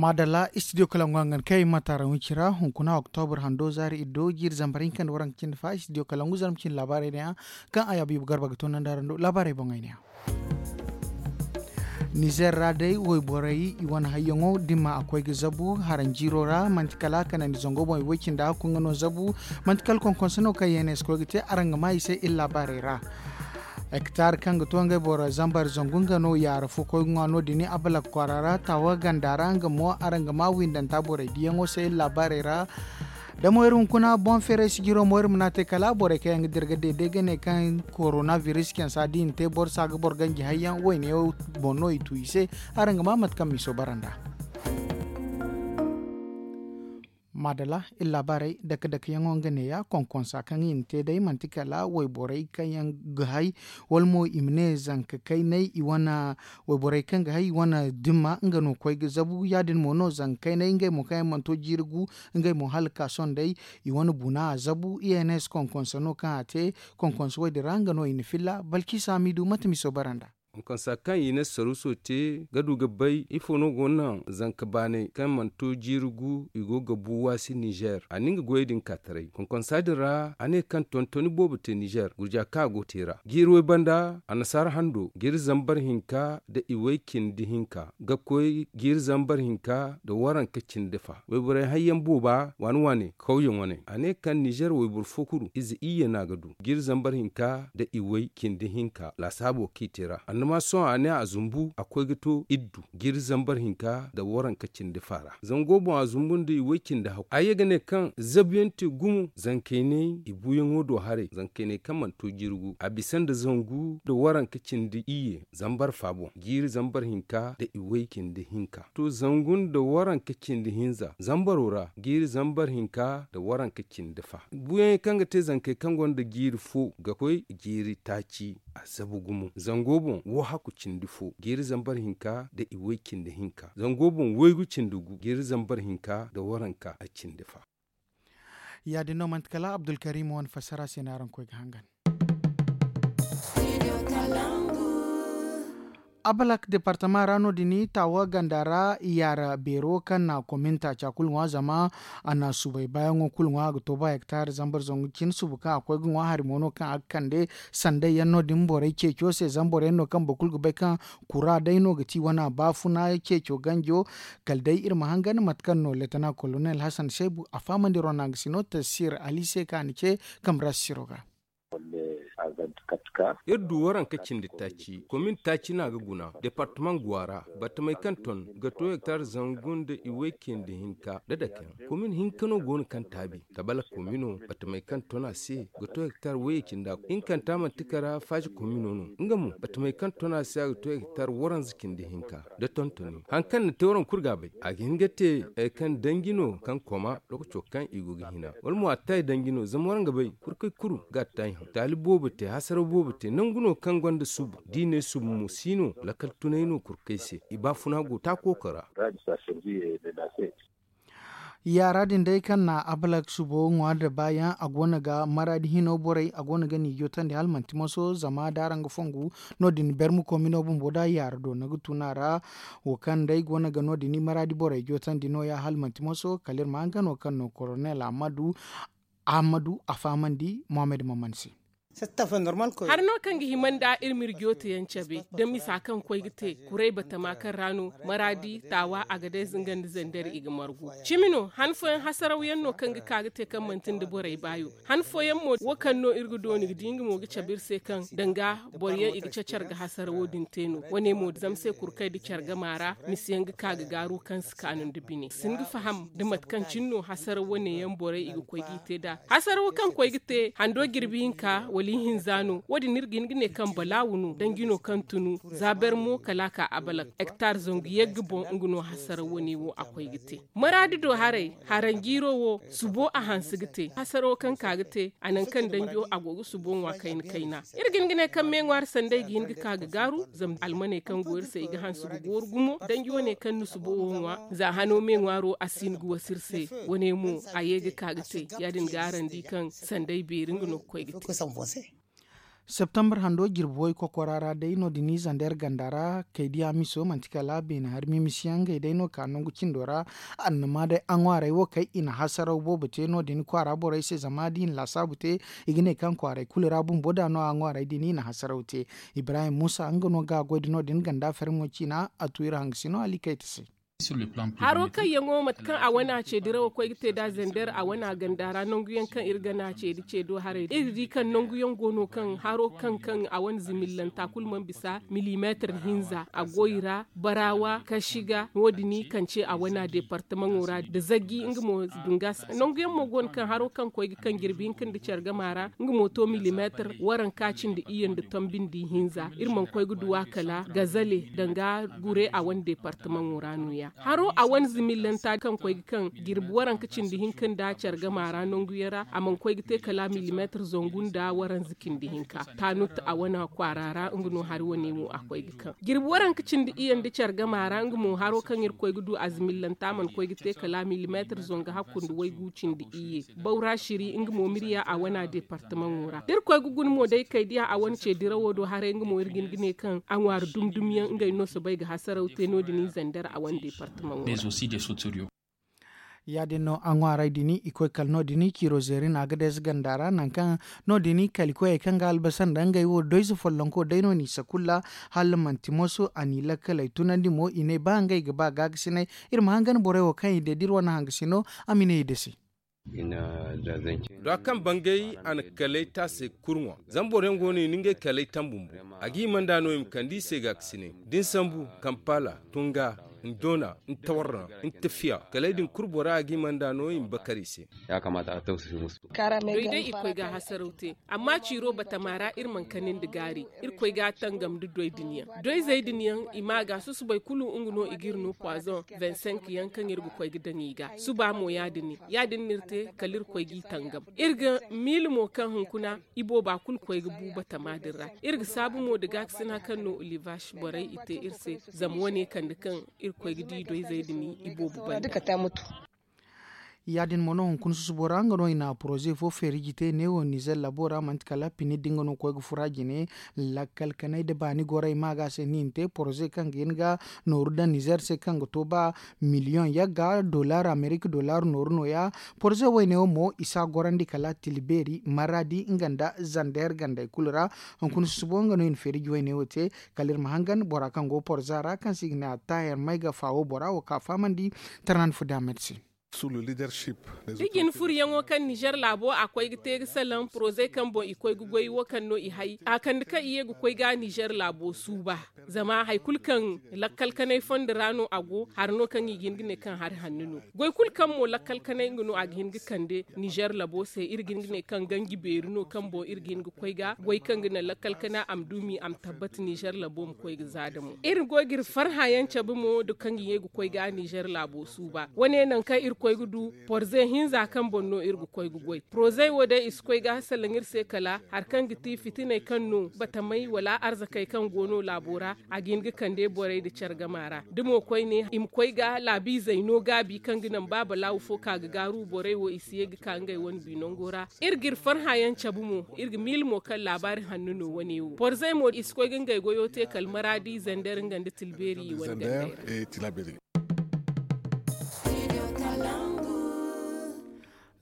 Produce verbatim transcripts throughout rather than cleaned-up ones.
Maadalla, istidiyo kalangu hangan kay ma taara wincira hunkuna oktobur hando zaari iddo jiiri zambar hinka nda waranka cindi fa istidiyo kalangu zarma cindi laabaarey ne yaŋ kaŋ a yaabu ibu garba ga toonandi araŋ do laabaarey boŋey ne yaŋ. Nizer ra day wayborey i wane hayyaŋo dimma a koy ga zabu haranjiiro ra manti kala kanandi zango boŋ i way cindi hakku nga no zabu. Manti kala konkonse no kaŋ yenes koy ga te araŋ ga maa i se iri laabaarey ra. Hektar kaŋ ga to ngey boro zambar zangu nga no yaara fo koy ga ŋwa no- din abalak kwaara ra taawa ganda ra nga mo araŋ ga maa windanta borey diyaŋo se iri laabaarey ra. Da mo iri hunkuna boŋ feeray sijiro mo iri ma n'a te kala borey kaŋ yaŋ ga dirga deede ga ne kaŋ korona biris cansa da i na te boro se a ga boro ganji hayyaŋ wayne boŋ no i tu i se. Araŋ ga maa mate kaŋ miiso bara nd'a. Maadala iri laabaarey dake dake yaŋo nga neeya konkonsa kaŋ i na te day manti kala wayborey kaŋ yaŋ ga hay wala mo i ma ne zanka kaynay i wane wayborey kaŋ ga hay i wane dimma nga no koy ga zabu ya- din mo no zanka kaynay ngey mo kaŋ yaŋ mana to jiiri gu ngey mo hala ka sohõ day i wane buna a zabu i n s konkonsa no kaŋ a te. Konkonsa wo- din ra nga no i na filla balkisa miidu mate miiso bara nd'a. Konkonsa kaŋ i na saruso te ga du ga bay ifo no go naŋ zanka baanay kaŋ mana to jiiri gu i go ga bu waasi nizer a na nga goyey din ka taray konkonsa din ra a ne kaŋ tontoni boobo te nizer gurja kaŋ a go te ra jiiri way banda annasaara hando jiiri zambar hinka nda i way cindi hinka ga koy jiiri zambar hinka nda waranka cindi fa wayborey hayyaŋ booba waani waani kawyaŋ wane a ne kaŋ nizer wayboro fo kulu ize iyye no a ga du jiiri zambar hinka nda i way cindi hinka laasaabo kaŋ i te ra annama sohõ a ne a zumbu a koy ga to iddu jiiri zambar hinka nda waranka cindi fa ra zango boŋ a zumbu nda i way cindi hakku a ye ga ne kaŋ zabuyaŋ te gumo zankaynay i buuyaŋo do haray zankaynay kaŋ mana to jirgu a bisa nda zangu nda waranka cindi iyye zambar fa boŋ jiiri zambar hinka nda i way cindi hinka to zangu nda waranka cindi hinza zambaro ra jiiri zambar hinka nda waranka cindi fa buuyaŋey kaŋ ga te zankey kaŋ gonda jiiri fo ga koy jiiri taaci a zabu gumo zango boŋ wo hakku cindi fo jiiri zambar hinka nda i way cindi hinka zango boŋ waygu cindi gu jiiri zambar hinka nda waranka a cindi fa. Ya- din no manti kala abdulkarim wane fassara se no araŋ koy ga hangan. Abalak departama ra no- din taawa ganda ra yaara beero kaŋ na komin taaca kulu ŋwa zama a na subay baayaŋo kulu ŋwa a ga to ba hektar zambar zangu cine suba kaŋ a koy ga ŋwa hari mo no kaŋ a ga kande sanday yaŋ no- din borey ceeco se zama boro yaŋ no kaŋ boro kulu ga bay kaŋ kura day no ga ti wana baafuna ceeco ganjo. Kala day iri ma hangan mate kaŋ no letana kolonel hasan seebu a fahamandi ronang sino tasir ali se kaŋ a na ce kamras siro ga. Iri du waranka cindi taaci komin taaci no a ga guna departamaŋ guwa ra batamey kaŋ ton ga to hektar zangu nda i way cindi hinka nda dakeyaŋ komin hinka no go no kaŋ taabi tabala komino batamey kaŋ ton a se ga to hektar wayye cindi a hinkanta manti kara faaci komino no nga mo batamey kaŋ ton a se a ga to hektar waranza cindi hinka nda tontoni hari kaŋ na te waraŋ kulu ga a bay a ga hin ga te hari kaŋ danji no kaŋ koma lookaco kaŋ i go ga hina wala mo a taay danji no zama waraŋ ga bay kurkey kulu ga a taay hã taali boobo te hasaraw boobo te nangu no kaŋ gonda subu da i ne subu mo si no lakkal tunay no kurkey se i baafuna go taako kara. Yaara din day kaŋ na abalak subo ŋwa nda baayaŋ a go no ga maraadi hino borey a go no ga ni jootandi hala manti moso zama da araŋ ga fongu no- din bermu komino bumbo da yaara do no ga tun a ra. Wo kaŋ day go no ga no- din maraadi borey jootandi nooya hala manti moso kala iri ma hangano kaŋ no koronel ahamadu ahamadu a fahamandi mohammed maman se. Hari no kaŋ ga hima nda iri ma iri jooteyaŋ cabe da misa kaŋ koy ga te kuray batama kaŋ ra no maraadi taawa agadez nga nda zandar i ga margu cimi no han fooyaŋ hasarawyaŋ no kaŋ ga ka ga te kaŋ manti nda borey baayo han fooyaŋ mo wo kaŋ no iri ga dooni ga di nga mo ga cabe iri se kaŋ danga boro yaŋ i ga cacar ga hasarawo din te no wane mo zama se kurkay nda care gama ra misa yaŋ ga ka ga gaaru kaŋ si kaanu nda bine si hin ga faham nda mate kaŋ cine no hasaraw wane yaŋ borey i ga koy g'i te nd'a hasarawo kaŋ koy ga te hando jirbi hinka wala ihinza no wo- din iri ga hin ga ne kaŋ balaawu no danji no kaŋ tunu za ber mo kala a ka abalak hektar zangu yagga boŋ nga no hasaraw wane wo a koy ga te maraadi do haray haranjiiro wo subo a hanse ga te hasaro kaŋ ka ga te a nangu kaŋ danjo a go ga subo ŋwa kayna kayna iri ga hin ga ne kaŋ meeŋwaari sanday ga hin ga ka ga gaaru zama almaney kaŋ go iri se i ga hanse ga gooru gumo danjo wane kaŋ na subo wo ŋwa za hano meeŋwaaro a si hin ga wasa iri se wane mo a ye ga ka ga te ya- din ga araŋ di kaŋ sanday beeri nga no ga koy ga te. Septembre hando jirbi way kokora ra day no- din i zander ganda ra kay diya miso manti kala beene hari mimisiyaŋ ngey day no ka nangu cindo ra. Annama day a ŋwaaray wo kay i na hasaraw boobo te no- din kwaara borey se zama da i na laasaabu te, i ga ne kaŋ kwaaray kulu ra bumbo da no a ŋwaaray din i na hasaraw te. Ibrahim muusa nga no ga a goy da no- din ganda fermo ciina a tu iri hangasino alikayta se. Haro kaŋ yaŋo mate kaŋ a wane a ce dirawo koy ga te nd'a zander a wane a ganda ra nangu yaŋ kaŋ iri ga ne a ce da ce do haray iri ga di kaŋ nangu yaŋ go no kaŋ haro kaŋ kaŋ a wane zimillanta kulu mana bisa milimeetir hinza a go i ra. Barawa kashi ga no- din i kance a wane a deepartamaŋo ra nda zaggi nga mo dungas nangu yaŋ mo go no kaŋ haro kaŋ koy ga kaŋ jirbi hinka nda care gama ra nga mo to milimeetir waranka cindi iyye nda tombi nda ihinza iri mana koy ga du a kala gazale danga gure a wane deepartamaŋo ra no- ya haro a wane zimillanta kaŋ koy ga kaŋ jirbi waranka cindi hinka nda care gama ra nangu yaŋ ra a mana koy ga te kala milimeetir zangu nda waranza cindi hinka. Taanut a wane kwaara ra nga no hari wane mo a koy ga kaŋ jirbi waranka cindi iyye nda care gama ra nga mo haro kaŋ iri koy ga du a zimillanta mana koy ga te kala milimeetir zangu hakku nda waygu cindi iyye. Bawra shiri nga mo mirya a wane a deepartamaŋo ra da iri koy ga guna mo day kay diya a wane ce dirawo do haray nga mo iri ga hin ga ne kaŋ a ŋwaari dumi dumi yaŋ ngey no soobay ga hasaraw te no- din i zander a wane deepartamaŋo ra. Ya- din no a ŋwaaray din i koy kala no- din ciiro zeeri na a ga deeza ganda ra nangu kaŋ no- din kala i koyey kaŋ ga albasa nda ngey wo doyze follonko day no n'i sakulla. Hala manti moso a n'i lakkaley tunandi mo i ne ba ngey ga ba gaagasinay. Iri ma hangan borey wo kaŋ i de da iri wane hangasino a ma ne i dase. Dwa kaŋ bangay a na kaley taasey kurŋo zama boro yaŋ go no i na ngey kaley taŋ bumbo. A ga hima nd'a no i ma kande i se gaakasinay da ni sambu kampala, tunga, ndoona, ntawarra, ntafiya kaley din kulu bora a ga hima nd'a no i ma bakar i se. Doy day i koy ga a hasaraw te amma ciiro batama ra iri mana kani nda gaari. Iri koy ga a tangam nda doy din yaŋ doyzey din yaŋ i ma ga susubay kulu nga no i ga iri no poison. Vingt cinq yaŋ kaŋ iri ga koy ga daŋ i ga suba mo ya- din ya- din no iri te kala iri koy g'i tangam. Iri ga miila mo kaŋ hunkuna ibooba kulu koy ga bu batama din ra. Iri ga saabu mo nda gaakasina kaŋ no olivash borey i te iri se zama wane kande kaŋ iri koy ga di doyzey din iboobo banda. Ya- din mo no hunkuna susubo ra nga no i na poroze fo feeriji te neewo nizer labo ra manti kala pini da nga no koy ga fura jine. Lakkal kanay da baani gorey ma ga se ni na te poroze kaŋ ga hin ga nooru daŋ nizer se kaŋ ga to ba miliyoŋ yagga dollar amerika dollar nooru no- ya. Poroze wayne wo mo i si a gorandi kala tila beeri maradi nga nda zander gandey kulu ra. Hunkuna susubo nga no i na feeriji wayne wo te kala iri ma hangan bora kaŋ go porza ra kaŋ se i ga ne a taahir may ga faawo bora wo ka fahamandi. Tarnan fudamet se. Da jine furyaŋo kaŋ nizer laabo a koy ga te ga salaŋ porozey kaŋ boŋ i koy ga goy wo kaŋ no i hay a kande kaŋ i ye ga koy ga nizer laabo suuba. Zama hari kulu kaŋ lakkal kanay fondo ra no a go hari no kaŋ i ga hin ga ne kaŋ hari hanno no. Goy kulu kaŋ mo lakkal kanay nga no a ga hin ga kande nizer labo se iri ga hin ga ne kaŋ ganji beeri no kaŋ boŋ iri ga hin ga koy ga goy kaŋ ga naŋ lakkal kanay a ma duumi a ma tabbata nizer labo ma koy ga za da mo iri go ga iri farha yaŋ cabe mo da kaŋ i ye ga koy ga nizer laabo suuba wane naŋ kaŋ iri koy ga du porze hinza kaŋ boŋ no iri ga koy ga goy porozey wo day i si koy ga salaŋ iri se kala hari kaŋ ga ti fitiney kaŋ no batamey wala arzakey kaŋ go no laabo ra. A ga hin ga kande borey nda care gama ra da mo koyne i ma koy ga laabiizey no gaabi kaŋ ga naŋ ba balaawu fo ka ga gaaru borey wo i si ye ga ka ngey wane bi nango ra. Iri ga iri farha yaŋ cabe mo iri ga miila mo kaŋ laabaari hanno no wane wo porzey mo i si koy ga ngey goyo te kala maraadi zander nga nda tilbeeri i wane gandey ra.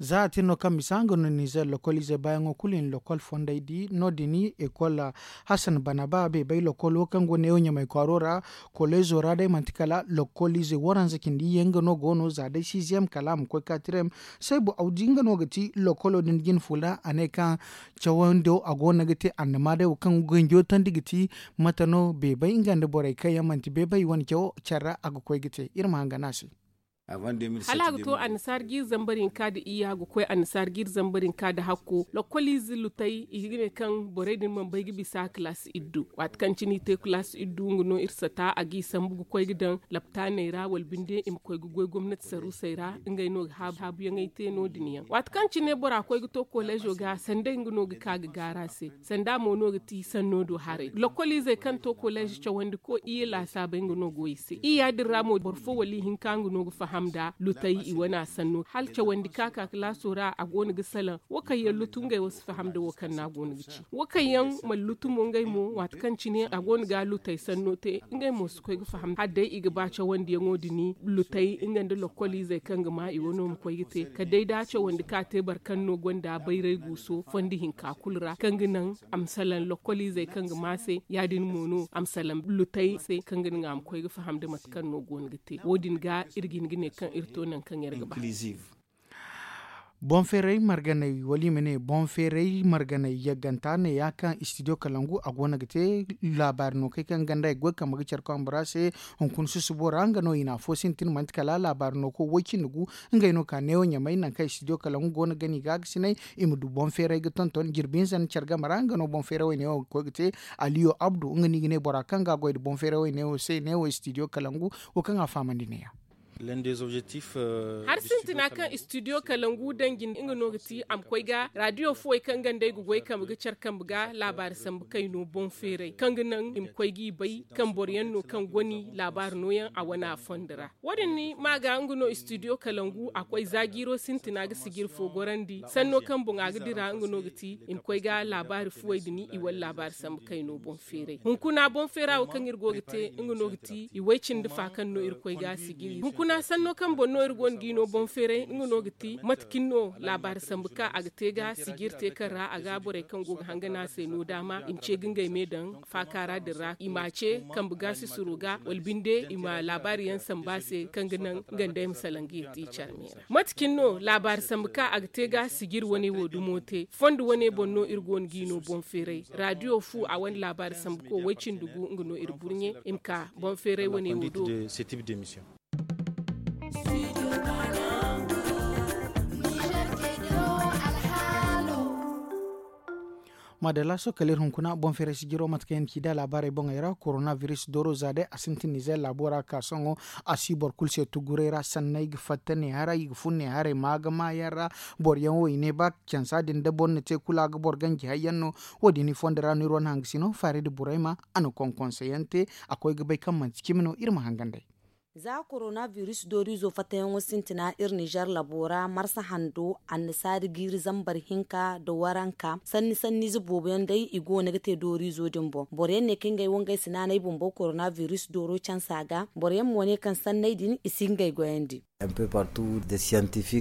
Za a tin no kaŋ misa nga no nizer lokoliizey baayaŋo kulu i na lokol fondey di no- din ekol hasan bana ba beebay lokolo kaŋ go neewo ɲamay kwaaro ra. Koleezo ra day manti kala lokoliizey waranza cindi iyye nga no go no za day siiziyem kala a ma koy kaatirem. Saybu awdi nga no ga ti lokolo din jine fula a ne kaŋ cawando a go no ga te annama day wo kaŋ ganjo tandi ga ti mate no beebay nga nda borey kaŋ yaŋ manti beebay wane cawo care ra a ga koy ga te iri ma hangan a se. Hala a ga to annasaara jiiri zambar hinka nda iyya ga koy annasaara jiiri zambar hinka nda hakko lokoliize lutey i ga ne kaŋ borey din mana bay ga bisa kalaasi iddu waati kaŋ cine i te kalaasi iddu nga no iri sata a g'i sambu ga koy ga daŋ laptaaney ra wala binde i ma koy ga goy gomnati saruusey ra. Ngey no ga haabuyaŋey te no- din yaŋ waati kaŋ cine bora koy ga to koleezo ga sanda nga no ga ka ga gaara se. Sanda mo no ga ti sanno do haray lokoliizey kaŋ to koleez cawandi ko iyye laasaabey nga no go i se iyya din ra mo boro fo wala ihinka nga no ga faham. faham nda lutey i wane a sanno hala cawandi ka ka kalaaso ra a go no ga salaŋ. Wo kaŋ yaŋ lutu ngey wo si faham nda wo kaŋ no a go no ga ci wo kaŋ yaŋ mana lutu mo ngey mo waati kaŋ cine a go no ga lutey sanno te ngey mo si koy ga faham hala day i ga ba cawandiyaŋo din lutey nga nda lokkol izey kaŋ ga ma i wano ma koy ga te kala day da a cawandi ka te boro kaŋ no gonda bayray guuso fondo hinka kulu ra kaŋ ga naŋ a ma salaŋ lokkol izey kaŋ ga ma se ya- din mo no a ma salaŋ lutey se kaŋ ga naŋ a ma koy ga faham nda mate kaŋ no go no ga te wo- din ga iri ga hin ga ne kaŋ iri to nangu kaŋ iri ga ba. Boŋ feeray marganay wala i ma ne boŋ feeray marganay yagganta ne- ya kaŋ studio kalangu a go no ga te laabaari no kay kaŋ ganda i goy kambe ga care kambe ra se. Hunkuna susubo ra nga no i na afo sintin manti kala laabaari no ko woy cindi gu ngey no ka neewo ɲamay nangu kaŋ studio kalangu go no ga ni ga ga sinay i ma du boŋ feeray ga tonton jirbi hinza nda care game ra nga no boŋ feeray wo i neewo ga koy ga te. Aliyo abdu nga no i ga ne bora kaŋ ga a goy nda boŋ feeray wo i neewo se neewo studio kalangu wo kaŋ a fahamandi ne- ya. Hari sintina kaŋ studio kalangu danji nga no ga ti a ma koy ga radio fuwey kaŋ ganda ay ga goy kambe ga care kambe ga laabaari sambu kayno boŋ feeray kaŋ ga naŋ i ma koy g'i bay kaŋ boro yaŋ no kaŋ goni laabaari nooyaŋ a wane a fondo ra. Wo- din ni ma ga nga no studio kalangu a koy za jiiro sintina ga sijiri fo gorandi sanno kaŋ boŋ a ga dira nga no ga ti i ma koy ga laabaari fuwey din i wala laabaari sambu kayno boŋ feeray hunkuna boŋ feera wo kaŋ iri go ga te nga no ga ti i way cindi fa kaŋ no irkoy ga a sijiri hunkuna sanno kaŋ boŋ no iri go no g'i no boŋ feeray nga no ga ti mate cine no laabaari sambu ka a ga te ga sijiri te kaŋ ra a ga borey kaŋ go ga hangana se no daama i ma ce ga ngey me daŋ faaka ra din ra i m'a ce kambe ga sisiro ga wala binde i ma laabaari yaŋ sambu a se kaŋ ga naŋ nga nda ay ma salaŋ ga yeti care me ra mate cine no laabaari sambu ka a ga te ga sijiri wane wo dumo te fondo wane boŋ no iri go no g'i no boŋ feeray radio fu a wane laabaari sambu ko way cindi gu nga no iri burɲe i ma ka boŋ feeray wane wo do. Maadalla sohõ kala iri hunkuna boŋ feeray sijiro mate kaŋ yaŋ ci da laabaarey boŋey ra korona biris dooro za day a sintin nizer laabo ra ka sohõ a si boro kulu se tuguray ra sanney ga fatta ne haray i ga fun ne haray ma ga maayaŋ ra. Boro yaŋ wo i ne ba cansa din da boro na te kulu a ga boro ganji hayyaŋ no. Wo- din i fondo ra no iri wane hangasino faaridi burayma a na konkonse yaŋ te a koy ga bay kaŋ manti cimi no iri ma hangan day. Za korona biris dooriizo fattayaŋo sintina iri nizer labo ra marsa hando annasaari jiiri zambar hinka nda waranka sanni sanniize boobo yaŋ day i go no ga te dooriizo din boŋ boro yaŋ ne kaŋ ngey wo ngey si naanay bumbo korona biris dooro cansa ga boro yaŋ mo ne kaŋ sanney din i si ngey goyandi.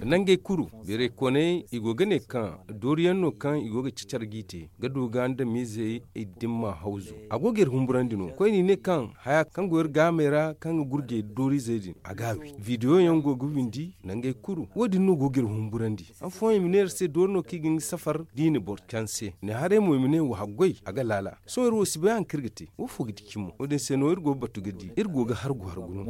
Nangey kulu beeraykooney i go ga ne kaŋ dooriyaŋ no kaŋ i go ga cacar g'i te ga du ga andamiizey i dimma hawzu a go ga iri humburandi no koyne i ne kaŋ haya kaŋ go iri gaamey ra kaŋ ga gurjey dooriizey din a ga a wi bidiyo yaŋ go ga windi nangey kulu wo- din no go ga iri humburandi han fooyaŋ i ma ne iri se doori no kaŋ i ga nga safar da i na boro canse ne haray mo i ma ne wa haggoy a ga laala sohõ iri wo si bay hari kaŋ iri ga te wo fo ga di cimo wo- din se no iri go ga batu ga di iri go ga hargu hargu no.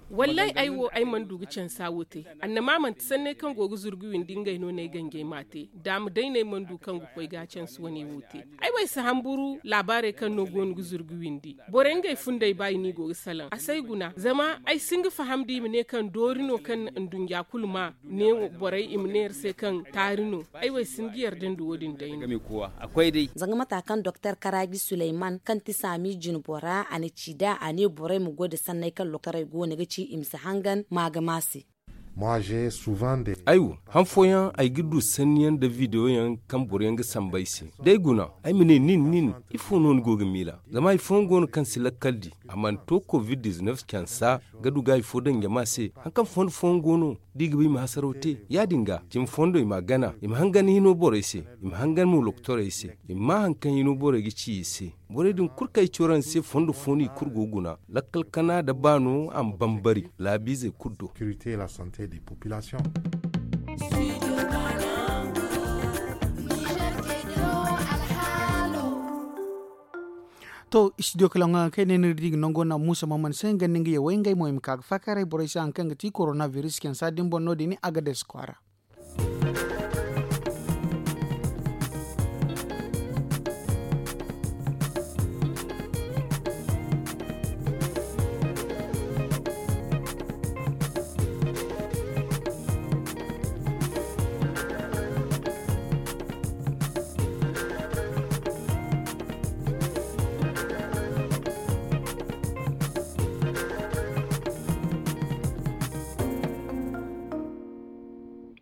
Wallaahi ay wo ay mana du ga cansa wo te annama manti sanney kaŋ go ga zurgu windi ngey no no ay ganjey m'a te daama day no ay mana du kaŋ ga koy ga a canse wane wo te. Ay wo ay si hamburu laabaarey kaŋ no go no ga zurgu windi borey ngey fundey ba i no i go ga salaŋ a si ay guna zama ay si hin ga faham da i ma ne kaŋ doori no kaŋ nduɲɲa kulu ma ne borey i ma ne iri se kaŋ taari no. Ay wo ay si hin ga yarda nda wo- din day no. Zanga mata kaŋ doktor karaaji suleyman kaŋ ti saami jinbora a na ci nd'a a ne borey ma goy nda sanney kaŋ lokorey go no ga ci i ma si hangan maagama se. Ay wo han fooyaŋ ay ga du sanniyaŋ nda bidiyoyaŋ kaŋ boroyaŋ ga samba ay se da ay guna ay ma ne nin nin ifo no ni go ga miila zama hari fooyaŋ go no kaŋ si lakkal di a mana to covid-19 cansa ga du ga hari fo daŋ jama se hari kaŋ fondo fooyaŋ go no da i ga ba i ma hasaraw te ya- din ga cimi fondo i m'a gana i ma hangan hino borey se i ma hangan mo lokotorey se i ma maa hari kaŋ hino borey ga ci i se borey din kulu kaŋ ay ci waraŋ se fondo fo no i kulu go ga guna lakkal kana nda baano a ma bambari laabiizey kulu do. To studio kala ŋwa kaŋ ay ne ni ga di ga nango na muusa mamman se nga nda nga yawey ngey mo i ma ka ga faakaaray borey se hari kaŋ ga ti korona biris cansa din boŋ no- din a ga deesi kwaara.